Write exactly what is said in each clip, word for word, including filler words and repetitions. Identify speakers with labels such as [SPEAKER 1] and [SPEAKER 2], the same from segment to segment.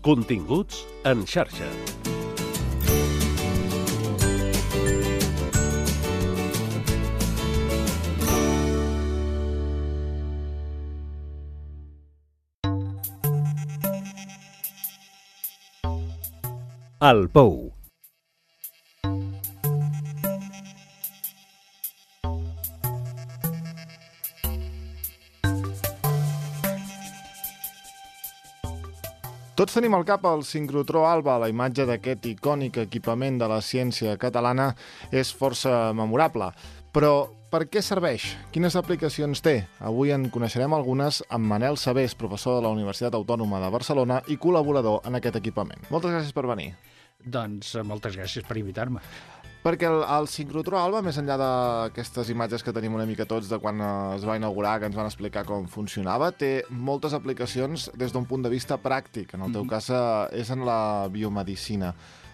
[SPEAKER 1] Continguts en xarxa. El Pou.
[SPEAKER 2] Tots tenim al cap el sincrotró Alba. La imatge d'aquest icònic equipament de la ciència catalana és força memorable. Però per què serveix? Quines aplicacions té? Avui en coneixerem algunes amb Manel Sabés, professor de la Universitat Autònoma de Barcelona i col·laborador en aquest equipament. Moltes gràcies per venir.
[SPEAKER 3] Doncs moltes gràcies per invitar-me.
[SPEAKER 2] Perquè el, el sincrotró Alba, més enllà d'aquestes imatges que tenim una mica tots de quan es va inaugurar, que ens van explicar com funcionava, té moltes aplicacions des d'un punt de vista pràctic. En el teu mm-hmm. cas és en la biomedicina.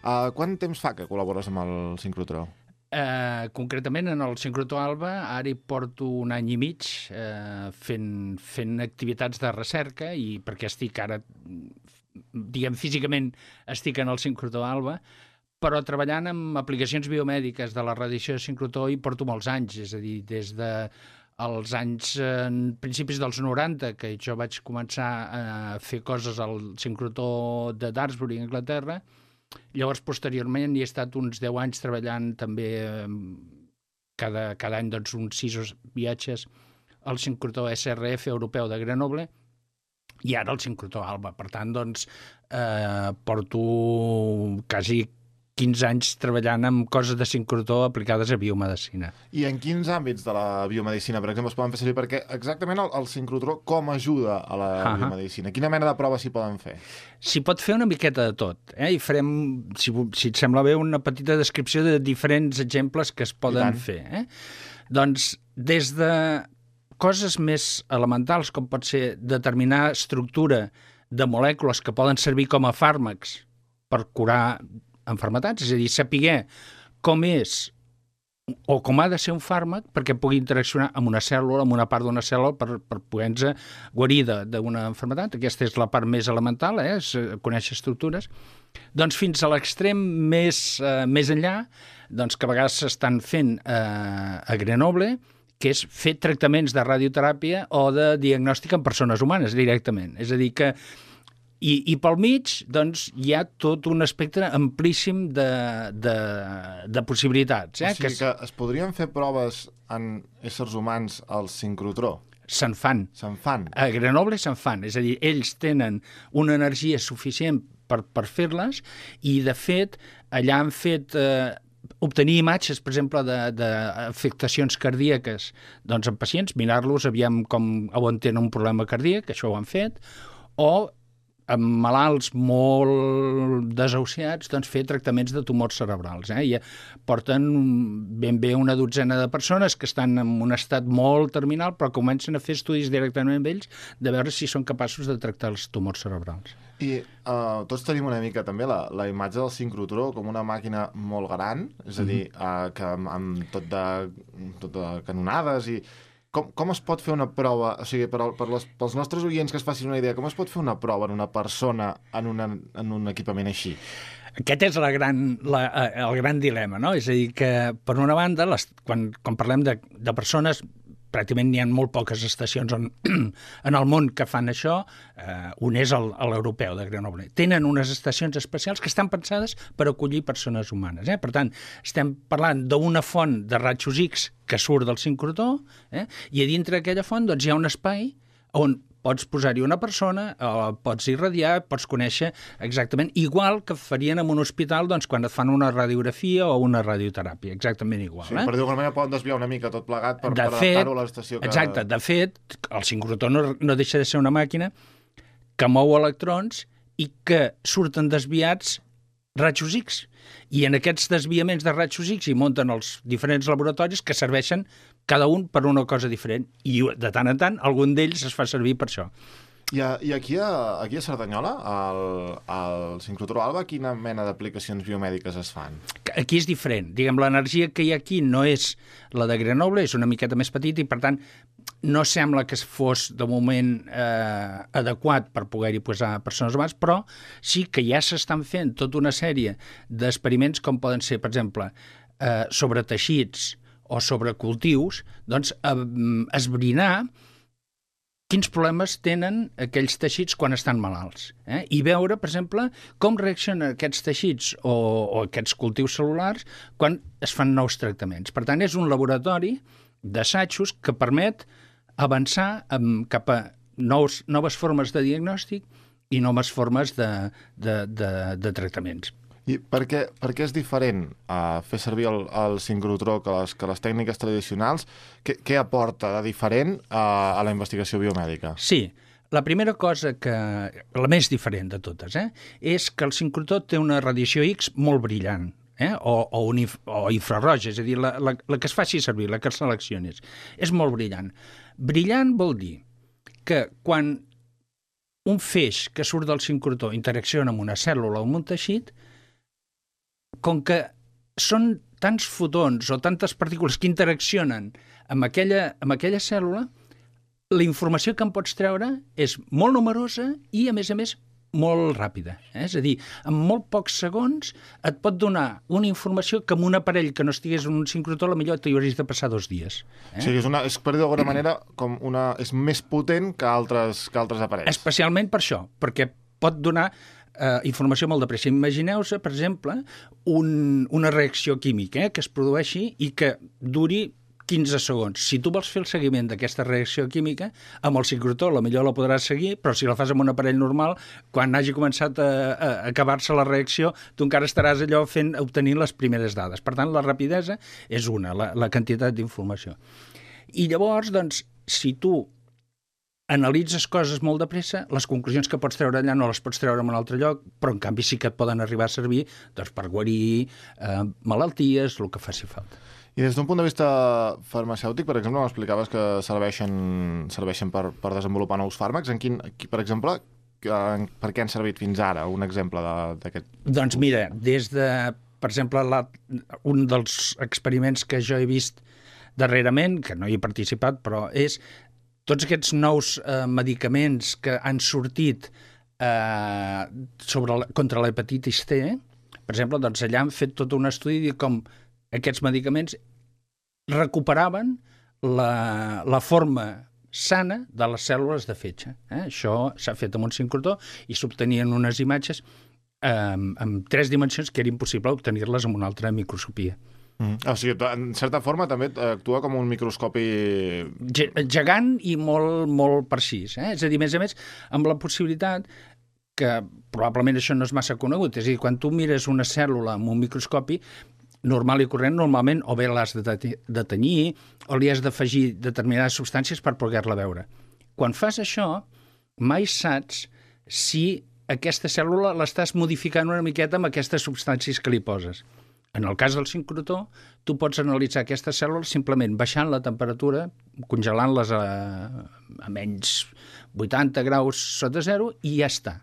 [SPEAKER 2] Uh, quant temps fa que col·labores amb el sincrotró?
[SPEAKER 3] Uh, concretament en el sincrotró Alba ara hi porto un any i mig uh, fent, fent activitats de recerca, i perquè estic ara, diguem, físicament estic en el sincrotró Alba, però treballant amb aplicacions biomèdiques de la radiació de sincrotró hi porto molts anys, és a dir, des de els anys, en principis dels noranta, que jo vaig començar a fer coses al sincrotró de Daresbury, Anglaterra. Llavors, posteriorment, hi he estat uns deu anys treballant també cada, cada any, doncs, uns sis viatges al sincrotró S R F europeu de Grenoble, i ara el sincrotró Alba. Per tant, doncs, eh, porto quasi quinze anys treballant amb coses de sincrotró aplicades a biomedicina.
[SPEAKER 2] I en quins àmbits de la biomedicina, per exemple, es poden fer servir? Perquè exactament el, el sincrotró com ajuda a la uh-huh. biomedicina? Quina mena de proves s'hi poden fer?
[SPEAKER 3] S'hi pot fer una miqueta de tot, eh? I farem, si, si et sembla bé, una petita descripció de diferents exemples que es poden fer. Eh? Doncs des de coses més elementals, com pot ser determinar estructura de molècules que poden servir com a fàrmacs per curar enfermetats, és a dir, saber com és o com ha de ser un fàrmac perquè pugui interaccionar amb una cèl·lula, amb una part d'una cèl·lula per, per poder-nos guarir d'una enfermetat. Aquesta és la part més elemental, eh? És conèixer estructures. Doncs fins a l'extrem més, eh, més enllà, doncs que a vegades s'estan fent eh, a Grenoble, que és fer tractaments de radioteràpia o de diagnòstic en persones humanes directament. És a dir, que I, i pel mig doncs, hi ha tot un espectre amplíssim de, de, de possibilitats. Eh?
[SPEAKER 2] O sigui que es podrien fer proves en éssers humans al sincrotró?
[SPEAKER 3] Se'n fan.
[SPEAKER 2] Se'n fan?
[SPEAKER 3] A Grenoble se'n fan. És a dir, ells tenen una energia suficient per, per fer-les, i, de fet, allà han fet eh, obtenir imatges, per exemple, d'afectacions cardíaques doncs, en pacients, mirar-los, aviam com on tenen un problema cardíac, això ho han fet, o amb malalts molt desahuciats, doncs fer tractaments de tumors cerebrals. Eh? I porten ben bé una dotzena de persones que estan en un estat molt terminal, però comencen a fer estudis directament amb ells de veure si són capaços de tractar els tumors cerebrals.
[SPEAKER 2] I uh, tots tenim una mica també la, la imatge del sincrotró com una màquina molt gran, és a dir, uh, que amb, amb tot, de, tot de canonades i... Com, com es pot fer una prova, o sigui, per, per les, pels nostres oients que es facin una idea, com es pot fer una prova en una persona en, una, en un equipament així?
[SPEAKER 3] Aquest és la gran, la, el gran dilema, no? És a dir, que per una banda, les, quan, quan parlem de, de persones, pràcticament n'hi ha molt poques estacions on, en el món que fan això, eh, un és l'europeu de Grenoble. Tenen unes estacions especials que estan pensades per acollir persones humanes. Eh? Per tant, estem parlant d'una font de rajos X que surt del sincrotró, eh? I a dintre d'aquella font doncs, hi ha un espai on pots posar-hi una persona, eh, pots irradiar, pots conèixer exactament, igual que farien en un hospital doncs, quan et fan una radiografia o una radioteràpia, exactament igual.
[SPEAKER 2] Sí,
[SPEAKER 3] eh?
[SPEAKER 2] per dir-ho manera poden desviar una mica tot plegat per, per adaptar-ho a l'estació que...
[SPEAKER 3] Exacte, de fet, el sincrotró no, no deixa de ser una màquina que mou electrons i que surten desviats rajos X. I en aquests desviaments de rajos X hi munten els diferents laboratoris que serveixen cada un per una cosa diferent, i de tant en tant algun d'ells es fa servir per això.
[SPEAKER 2] I, a, i aquí, a, aquí a Cerdanyola, al, al sincrotró Alba, quina mena d'aplicacions biomèdiques es fan?
[SPEAKER 3] Aquí és diferent. Diguem, l'energia que hi ha aquí no és la de Grenoble, és una miqueta més petita i, per tant, no sembla que fos, de moment, eh, adequat per poder-hi posar persones humans, però sí que ja s'estan fent tota una sèrie d'experiments com poden ser, per exemple, eh, sobre teixits o sobre cultius, doncs, eh, esbrinar quins problemes tenen aquells teixits quan estan malalts. Eh? I veure, per exemple, com reaccionen aquests teixits o, o aquests cultius cel·lulars quan es fan nous tractaments. Per tant, és un laboratori d'assajos que permet avançar amb, cap a nous, noves formes de diagnòstic i noves formes de, de, de, de tractaments.
[SPEAKER 2] I per què, per què és diferent uh, fer servir el, el sincrotró que les, que les tècniques tradicionals? Què, què aporta de diferent uh, a la investigació biomèdica?
[SPEAKER 3] Sí, la primera cosa que... la més diferent de totes, eh, és que el sincrotró té una radiació X molt brillant, eh, o, o, un inf, o infraroja, és a dir, la, la, la que es faci servir, la que seleccionis. És molt brillant. Brillant vol dir que quan un feix que surt del sincrotró interacciona amb una cèl·lula o amb un teixit, com que són tants fotons o tantes partícules que interaccionen amb aquella, amb aquella cèl·lula, la informació que en pots treure és molt numerosa i, a més a més, molt ràpida. Eh? És a dir, en molt pocs segons et pot donar una informació que amb un aparell que no estigués en un sincrotró, millor t'hi hauries de passar dos dies. Eh?
[SPEAKER 2] O sigui, és, una, és per dir d'alguna manera, com una, és més potent que altres, que altres aparells.
[SPEAKER 3] Especialment per això, perquè pot donar Uh, informació molt de pressa. Imagineu-se, per exemple, un, una reacció química eh, que es produeixi i que duri quinze segons. Si tu vols fer el seguiment d'aquesta reacció química, amb el sincrotró potser la podràs seguir, però si la fas amb un aparell normal, quan hagi començat a, a acabar-se la reacció, tu encara estaràs allò fent, obtenint les primeres dades. Per tant, la rapidesa és una, la, la quantitat d'informació. I llavors, doncs, si tu analitzes coses molt de pressa, les conclusions que pots treure allà no les pots treure en un altre lloc, però en canvi sí que et poden arribar a servir doncs, per guarir eh, malalties, el que faci falta.
[SPEAKER 2] I des d'un punt de vista farmacèutic, per exemple, m'explicaves que serveixen, serveixen per, per desenvolupar nous fàrmacs. En quin, per exemple, per què han servit fins ara? Un exemple d'aquest...
[SPEAKER 3] Doncs mira, des de, per exemple, la, un dels experiments que jo he vist darrerament, que no hi he participat, però és tots aquests nous eh, medicaments que han sortit eh, sobre la, contra l'hepatitis C, per exemple, doncs allà han fet tot un estudi de com aquests medicaments recuperaven la, la forma sana de les cèl·lules de fetge. Eh? Això s'ha fet amb un sincrotró i s'obtenien unes imatges eh, amb tres dimensions que era impossible obtenir-les amb una altra microscopia.
[SPEAKER 2] Mm. O sigui, en certa forma també actua com un microscopi...
[SPEAKER 3] Gegant i molt, molt precís. Eh? És a dir, a més a més, amb la possibilitat que probablement això no és massa conegut. És a dir, quan tu mires una cèl·lula amb un microscopi, normal i corrent, normalment o bé l'has de, de tenyir o li has d'afegir determinades substàncies per poder-la veure. Quan fas això, mai saps si aquesta cèl·lula l'estàs modificant una miqueta amb aquestes substàncies que li poses. En el cas del sincrotró, tu pots analitzar aquestes cèl·lules simplement baixant la temperatura, congelant-les a, a menys vuitanta graus sota zero i ja està.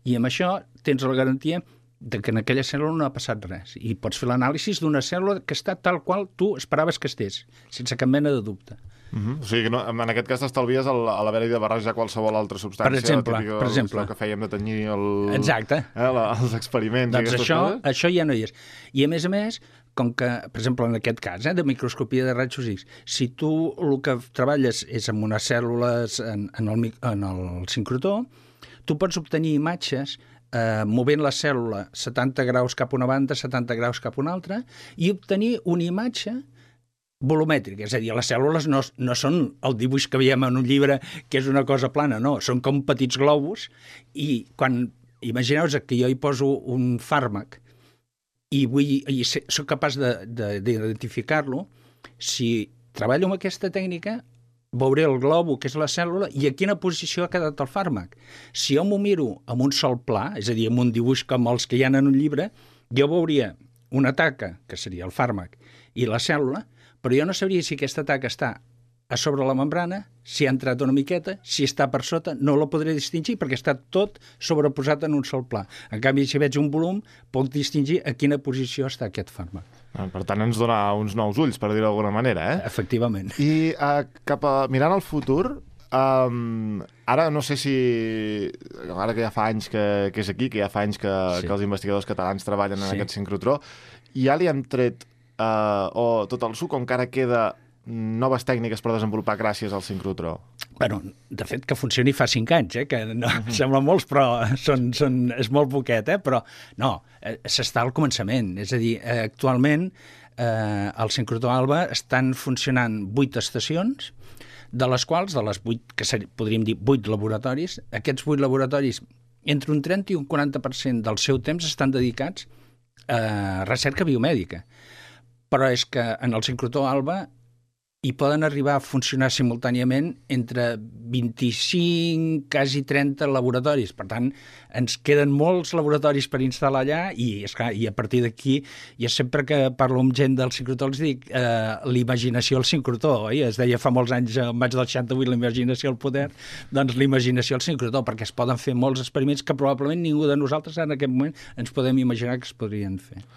[SPEAKER 3] I amb això tens la garantia de que en aquella cèl·lula no ha passat res. I pots fer l'anàlisi d'una cèl·lula que està tal qual tu esperaves que estés, sense cap mena de dubte.
[SPEAKER 2] Uh-huh. O sigui que no, en aquest cas t'estalvies a l'haver-hi de barrejar qualsevol altra substància.
[SPEAKER 3] Per exemple,
[SPEAKER 2] típica,
[SPEAKER 3] per exemple.
[SPEAKER 2] que fèiem de tenyir el,
[SPEAKER 3] Exacte.
[SPEAKER 2] Eh, la, els experiments.
[SPEAKER 3] Doncs això, això ja no hi és. I a més a més, com que, per exemple, en aquest cas, eh, de microscopia de rajos X, si tu el que treballes és amb unes cèl·lules en, en, el, en el sincrotró, tu pots obtenir imatges eh, movent la cèl·lula setanta graus cap a una banda, setanta graus cap a una altra, i obtenir una imatge volumètrica, és a dir, les cèl·lules no, no són el dibuix que veiem en un llibre que és una cosa plana, no, són com petits globus i quan, imagineu-vos que jo hi poso un fàrmac i, vull, i soc capaç d'identificar-lo, si treballo amb aquesta tècnica veuré el globo, que és la cèl·lula, i a quina posició ha quedat el fàrmac. Si jo m'ho miro amb un sol pla, és a dir, amb un dibuix com els que hi ha en un llibre, jo veuria una taca, que seria el fàrmac, i la cèl·lula, però jo no sabria si aquesta taca està a sobre la membrana, si ha entrat una miqueta, si està per sota, no la podré distingir perquè està tot sobreposat en un sol pla. En canvi, si veig un volum, puc distingir a quina posició està aquest fàrmac.
[SPEAKER 2] Per tant, ens dona uns nous ulls, per dir-ho d'alguna manera, eh?
[SPEAKER 3] Efectivament.
[SPEAKER 2] I uh, cap a, mirant al futur, um, ara no sé si... Ara que ja fa anys que, que és aquí, que ja fa anys que, sí. que els investigadors catalans treballen en sí. aquest sincrotró, ja li hem tret uh, o tot el suc, o encara queda noves tècniques per desenvolupar gràcies al sincrotró?
[SPEAKER 3] Bueno, de fet, que funcioni fa cinc anys, eh? Que no, uh-huh. sembla molts, però són, són, és molt poquet, eh? Però no, eh, s'està al començament. És a dir, eh, actualment eh, al sincrotró ALBA estan funcionant vuit estacions, de les quals, de les vuit, que ser, podríem dir vuit laboratoris, aquests vuit laboratoris, entre un trenta i un quaranta per cent del seu temps estan dedicats a recerca biomèdica. Però és que en el sincrotró ALBA hi poden arribar a funcionar simultàniament entre vint-i-cinc, quasi trenta laboratoris. Per tant, ens queden molts laboratoris per instal·lar allà i, esclar, i a partir d'aquí, jo sempre que parlo amb gent del sincrotró els dic eh, l'imaginació al sincrotró, oi? Es deia fa molts anys, al maig del seixanta-vuit, l'imaginació al poder, doncs l'imaginació al sincrotró, perquè es poden fer molts experiments que probablement ningú de nosaltres en aquest moment ens podem imaginar que es podrien fer.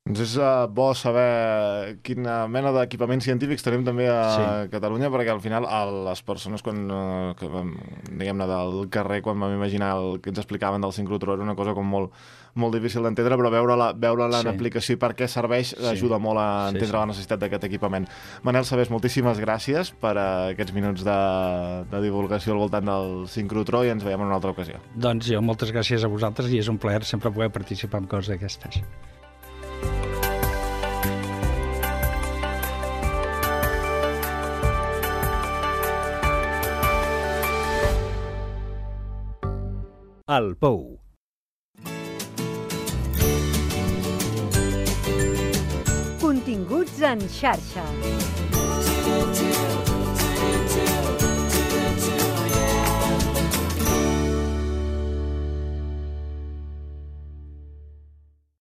[SPEAKER 2] Doncs és uh, bo saber quina mena d'equipaments científics tenim també a sí. Catalunya, perquè al final a les persones, quan, uh, que vam, diguem-ne, del carrer, quan vam imaginar el que ens explicaven del sincrotró, era una cosa com molt, molt difícil d'entendre, però veure-la veure sí. en aplicació i per què serveix sí. ajuda molt a entendre sí, sí. la necessitat d'aquest equipament. Manel Sabés, moltíssimes gràcies per uh, aquests minuts de, de divulgació al voltant del sincrotró i ens veiem en una altra ocasió.
[SPEAKER 3] Doncs jo, moltes gràcies a vosaltres i és un plaer sempre poder participar en coses d'aquestes.
[SPEAKER 1] El Pou.
[SPEAKER 4] Continguts en xarxa.